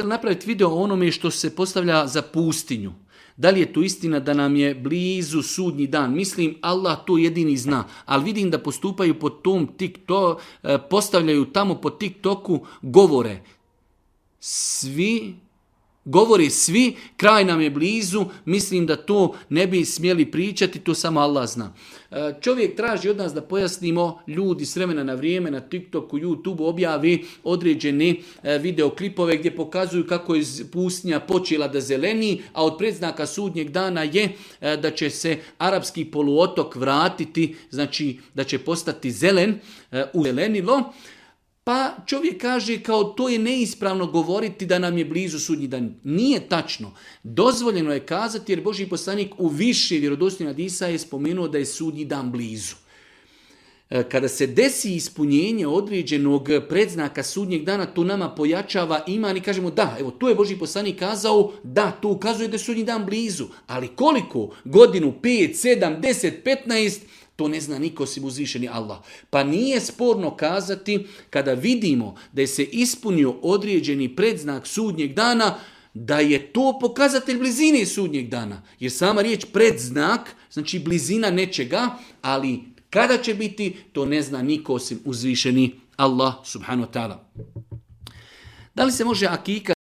napraviti video o onome što se postavlja za pustinju. Da li je to istina da nam je blizu sudnji dan? Mislim, Allah to jedini zna. Ali vidim da postupaju po tom TikTok, postavljaju tamo po TikToku govore. Govore svi, kraj nam je blizu, mislim da to ne bi smjeli pričati, to samo Allah zna. Čovjek traži od nas da pojasnimo, ljudi s vremena na vrijeme na TikToku, YouTubeu objavi određene videoklipove gdje pokazuju kako je pustinja počela da zeleni, a od predznaka sudnjeg dana je da će se arapski poluotok vratiti, znači da će postati zelen, uzelenilo. Pa čovjek kaže kao to je neispravno govoriti da nam je blizu sudnji dan. Nije tačno. Dozvoljeno je kazati jer Božji poslanik u više vjerodostojnih hadisa je spomenuo da je sudnji dan blizu. Kada se desi ispunjenje određenog predznaka sudnjeg dana, to nama pojačava iman i kažemo da, evo tu je Božji poslanik kazao, da, to ukazuje da je sudnji dan blizu. Ali koliko? Godinu, 5, 7, 10, 15, to ne zna niko osim uzvišeni Allah. Pa nije sporno kazati kada vidimo da je se ispunio određeni predznak sudnjeg dana, da je to pokazatelj blizine sudnjeg dana. Jer sama riječ predznak, znači blizina nečega, ali kada će biti, to ne zna niko osim uzvišeni Allah subhanahu wa ta'ala. Da li se može akika